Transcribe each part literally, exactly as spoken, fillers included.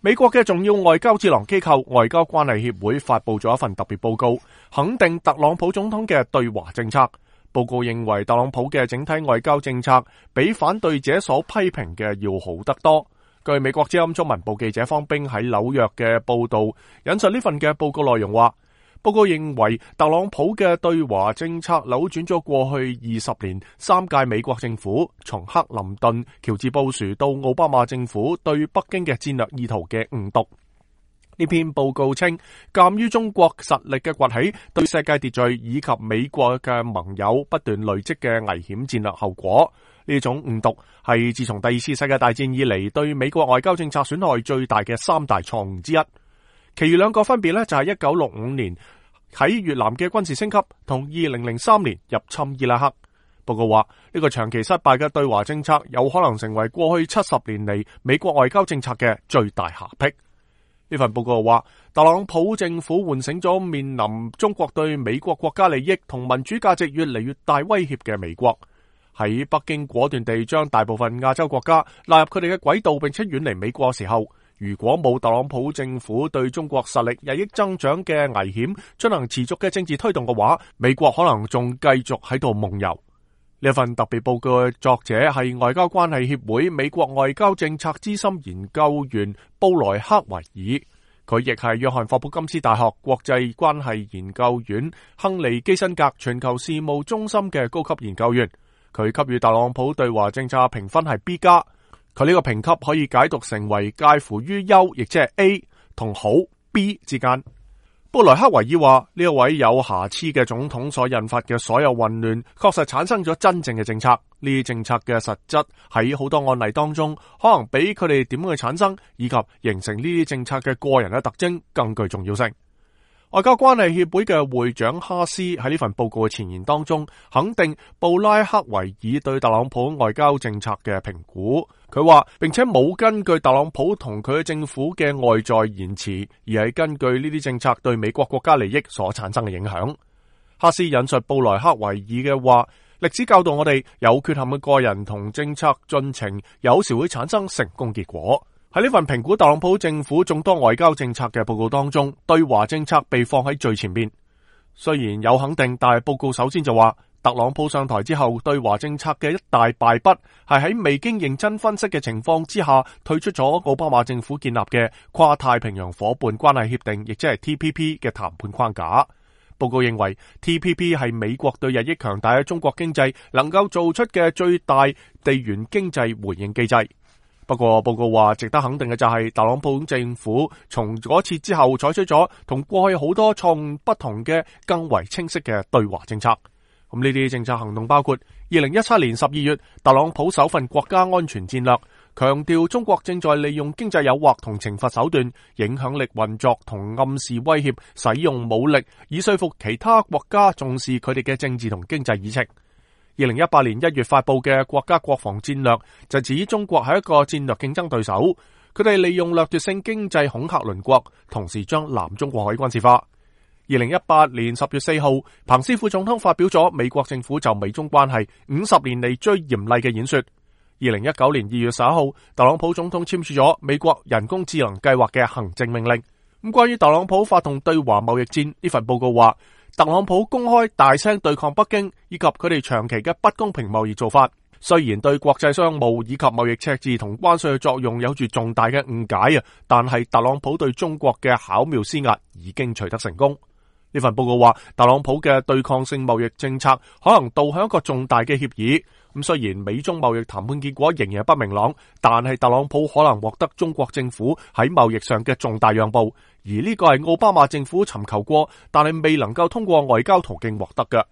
美國嘅重要外交智囊機構外交關係協會發佈咗一份特別報告，肯定特朗普總統嘅對華政策。報告認為特朗普嘅整體外交政策比反對者所批評嘅要好得多。據美國之音中文部記者方冰喺紐約嘅報道，引述呢份嘅報告內容話，報告認為特朗普嘅對華政策扭轉咗過去二十年三屆美國政府，從克林頓、喬治布殊到奧巴馬政府對北京嘅戰略意圖嘅誤讀。呢篇報告稱，鑒於中國實力嘅崛起對世界秩序以及美國嘅盟友不斷累積嘅危險戰略後果，呢種誤讀係自從第二次世界大戰以嚟對美國外交政策損害最大嘅三大錯誤之一。其餘兩個分別呢，就係一九六五年喺越南嘅軍事升級，同二零零三年入侵伊拉克。報告話，呢個長期失敗嘅對華政策有可能成為過去七十年嚟美國外交政策嘅最大瑕疵。呢份報告話，特朗普政府喚醒咗面臨中國對美國國家利益同民主價值越嚟越大威脅嘅美國，喺北京果斷地將大部分亞洲國家納入佢哋嘅軌道，並且遠離美國嘅時候，如果冇特朗普政府對中國實力日益增長嘅危險進行持續嘅政治推動嘅話，美國可能仲繼續喺度夢遊。呢份特別報告嘅作者係外交關係協會美國外交政策資深研究員布萊克維爾，佢亦係約翰霍普金斯大學國際關係研究院亨利基辛格全球事務中心嘅高級研究員。佢給予特朗普對華政策評分係 B 加，佢呢個評級可以解讀成為介乎於優，亦即係 A 同好 B 之間。布萊克維爾話，呢一位有瑕疵嘅總統所引發嘅所有混亂，確實產生咗真正嘅政策。呢啲政策嘅實質喺好多案例當中，可能比佢哋點樣去產生以及形成呢啲政策嘅個人嘅特徵更具重要性。外交關係協會嘅會長哈斯喺呢份報告嘅前言當中，肯定布拉克維爾對特朗普外交政策嘅評估。佢話，並且冇根據特朗普同佢嘅政府嘅外在言辭，而係根據呢啲政策對美國國家利益所產生嘅影響。哈斯引述布萊克維爾嘅話，歷史教導我哋，有缺陷嘅個人同政策進程有時會產生成功結果。喺呢份評估特朗普政府眾多外交政策嘅報告當中，對華政策被放喺最前邊。雖然有肯定，但係報告首先就話，特朗普上台之後對華政策嘅一大敗筆係喺未經認真分析嘅情況之下退出咗奧巴馬政府建立嘅跨太平洋夥伴關係協定，亦即係 T P P 嘅談判框架。報告認為 T P P 係美國對日益強大嘅中國經濟能夠做出嘅最大地緣經濟回應機制。不過報告話，值得肯定嘅就係特朗普政府從嗰次之後採取咗同過去好多錯誤不同嘅更為清晰嘅對華政策。咁呢啲政策行動包括二零一七年十二月特朗普首份國家安全戰略，強調中國正在利用經濟誘惑同懲罰手段、影響力運作同暗示威脅，使用武力以說服其他國家重視佢哋嘅政治同經濟議程。二零一八年一月發佈嘅國家國防戰略就指中國係一個戰略競爭對手，佢哋利用掠奪性經濟恐嚇鄰國，同時將南中國海軍事化。二零一八年十月四號，彭斯副總統發表咗美國政府就美中關係五十年嚟最嚴厲嘅演說。二零一九年二月十一號，特朗普總統簽署咗美國人工智能計劃嘅行政命令。咁關於特朗普發動對華貿易戰，呢份報告話，特朗普公開大聲對抗北京以及佢哋長期嘅不公平貿易做法，雖然對國際商務以及貿易赤字同關稅嘅作用有住重大嘅誤解啊，但係特朗普對中國嘅巧妙施壓已經取得成功。呢份報告話，特朗普嘅對抗性貿易政策可能導向一個重大嘅協議。咁雖然美中貿易談判結果仍然不明朗，但係特朗普可能獲得中國政府喺貿易上嘅重大讓步，而呢個係奧巴馬政府尋求過，但係未能夠通過外交途徑獲得嘅。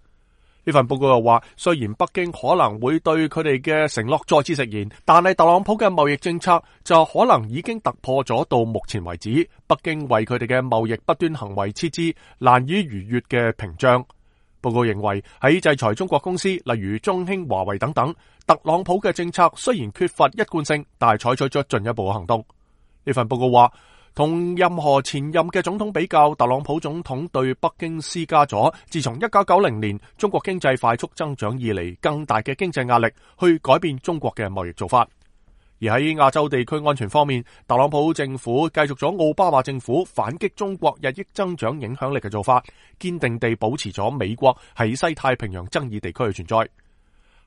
呢份報告又話，雖然北京可能會對佢哋嘅承諾再次食言，但係特朗普嘅貿易政策就可能已經突破咗到目前為止北京為佢哋嘅貿易不端行為設置難以逾越嘅屏障。報告認為喺制裁中國公司，例如中興、華為等等，特朗普嘅政策雖然缺乏一貫性，但係採取咗進一步嘅行動。呢份報告話，同任何前任嘅總統比較，特朗普總統對北京施加咗自從一九九零年中國經濟快速增長以嚟更大嘅經濟壓力，去改變中國嘅貿易做法。而喺亞洲地區安全方面，特朗普政府繼續咗奧巴馬政府反擊中國日益增長影響力嘅做法，堅定地保持咗美國喺西太平洋爭議地區嘅存在。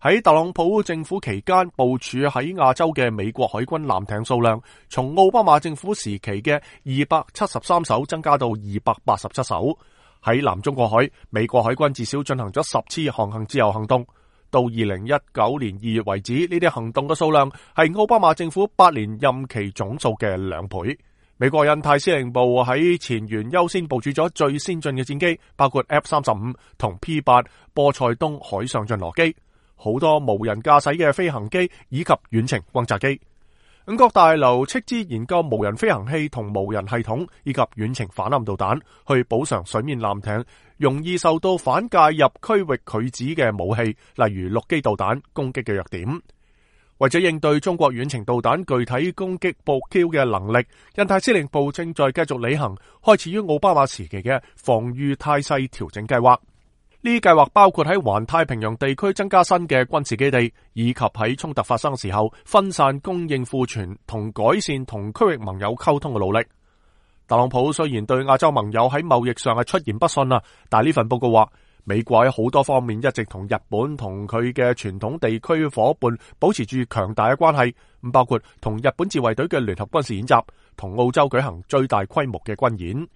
喺特朗普政府期間部署喺亞洲嘅美國海軍艦艇數量，從奧巴馬政府時期嘅二百七十三艘增加到二百八十七艘。喺南中國海，美國海軍至少進行咗十次航行自由行動。到二零一九年二月為止，呢啲行動嘅數量係奧巴馬政府八年任期總數嘅兩倍。美國印太司令部喺前沿優先部署咗最先進嘅戰機，包括 F 三十五同 P 八波塞冬海上巡邏機，好多無人駕駛嘅飛行機以及遠程轟炸機。五角大樓斥資研究無人飛行器同無人系統以及遠程反艦導彈，去補償水面艦艇容易受到反介入區域拒止嘅武器，例如陸基導彈攻擊嘅弱點。為咗應對中國遠程導彈具體攻擊目標嘅能力，印太司令部正在繼續履行開始於奧巴馬時期嘅防禦態勢調整計劃。呢啲計劃包括喺環太平洋地區增加新嘅軍事基地，以及喺衝突發生嘅時候分散供應庫存同改善同區域盟友溝通嘅努力。特朗普雖然對亞洲盟友喺貿易上係出言不遜啊，但係呢份報告話，美國喺好多方面一直同日本同佢嘅傳統地區夥伴保持住強大嘅關係，咁包括同日本自衛隊嘅聯合軍事演習，同澳洲舉行最大規模嘅軍演。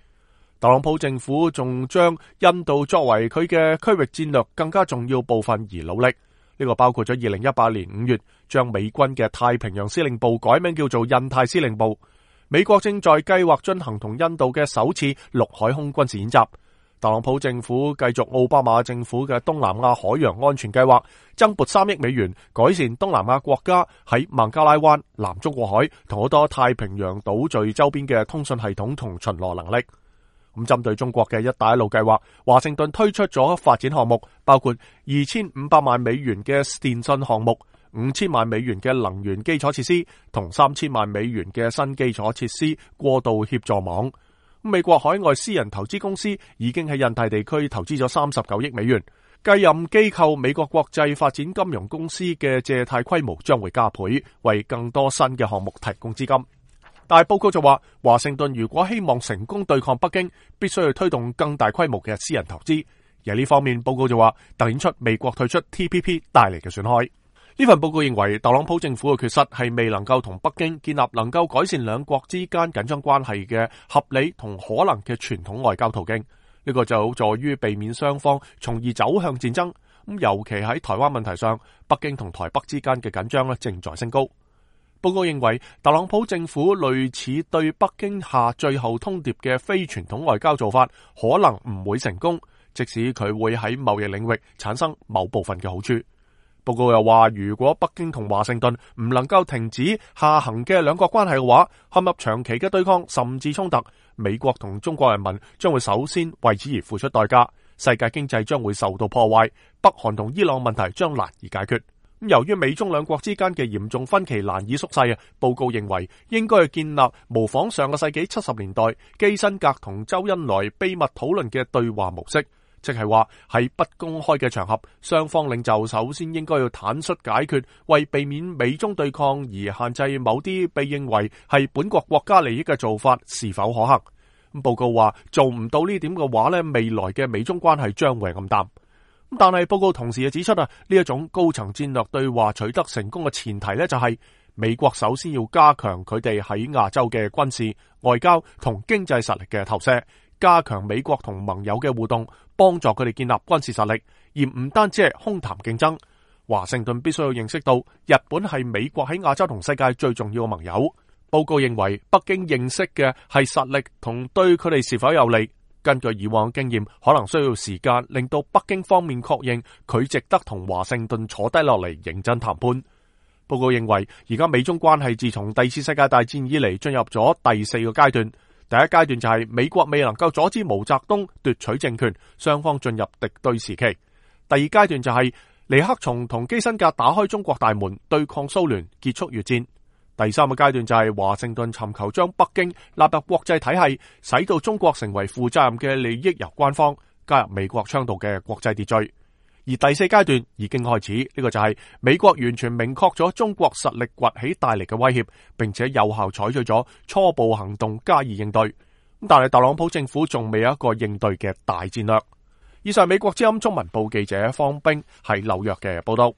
特朗普政府仲將印度作為佢嘅區域戰略更加重要部分而努力，呢個包括咗二零一八年五月將美軍嘅太平洋司令部改名叫做印太司令部。美國正在計劃進行同印度嘅首次陸海空軍事演習。特朗普政府繼續奧巴馬政府嘅東南亞海洋安全計劃，增撥三億美元改善東南亞國家喺孟加拉灣、南中國海同好多太平洋島嶼周邊嘅通訊系統同巡邏能力。咁針對中國嘅一帶一路計劃，華盛頓推出咗發展項目，包括二千五百萬美元嘅電信項目、五千萬美元嘅能源基礎設施同三千萬美元嘅新基礎設施過渡協助網。美國海外私人投資公司已經喺印太地區投資咗三十九億美元，繼任機構美國國際發展金融公司嘅借貸規模將會加倍，為更多新嘅項目提供資金。但係報告就話，華盛頓如果希望成功對抗北京，必須要推動更大規模嘅私人投資。而呢方面，報告就話凸顯出美國退出 T P P 帶嚟嘅損害。呢份報告認為，特朗普政府嘅缺失係未能夠同北京建立能夠改善兩國之間緊張關係嘅合理同可能嘅傳統外交途徑。呢個就有助於避免雙方從而走向戰爭。咁尤其喺台灣問題上，北京同台北之間嘅緊張咧正在升高。報告認為，特朗普政府類似對北京下最後通牒嘅非傳統外交做法，可能唔會成功，即使佢會喺貿易領域產生某部分嘅好處。報告又話，如果北京同華盛頓唔能夠停止下行嘅兩國關係嘅話，陷入長期嘅對抗甚至衝突，美國同中國人民將會首先為此而付出代價，世界經濟將會受到破壞，北韓同伊朗問題將難以解決。由於美中兩國之間嘅嚴重分歧難以縮細啊，報告認為應該去建立模仿上個世紀七十年代基辛格同周恩來秘密討論嘅對話模式，即係話喺不公開嘅場合，雙方領袖首先應該要坦率解決，為避免美中對抗而限制某啲被認為係本國國家利益嘅做法是否可行。咁報告話做唔到呢點嘅話咧，未來嘅美中關係將會暗淡。但係報告同時又指出啊，呢一種高層戰略對話取得成功嘅前提咧，就係美國首先要加強佢哋喺亞洲嘅軍事、外交同經濟實力嘅投射，加強美國同盟友嘅互動，幫助佢哋建立軍事實力，而唔單止係空談競爭。華盛頓必須要認識到，日本係美國喺亞洲同世界最重要嘅盟友。報告認為，北京認識嘅係實力同對佢哋是否有利。根據以往經驗，可能需要時間令到北京方面確認佢值得同華盛頓坐低落嚟認真談判。報告認為，而家美中關係自從第二次世界大戰以嚟進入咗第四個階段。第一階段就係美國未能夠阻止毛澤東奪取政權，雙方進入敵對時期。第二階段就係尼克松同基辛格打開中國大門，對抗蘇聯，結束越戰。第三個階段就係華盛頓尋求將北京納入國際體系，使到中國成為負責任嘅利益攸關方，加入美國倡導嘅國際秩序。而第四階段已經開始，呢個就係美國完全明確咗中國實力崛起帶嚟嘅威脅，並且有效採取咗初步行動加以應對。但係特朗普政府仲未有一個應對嘅大戰略。以上美國之音中文部記者方冰喺紐約嘅報道。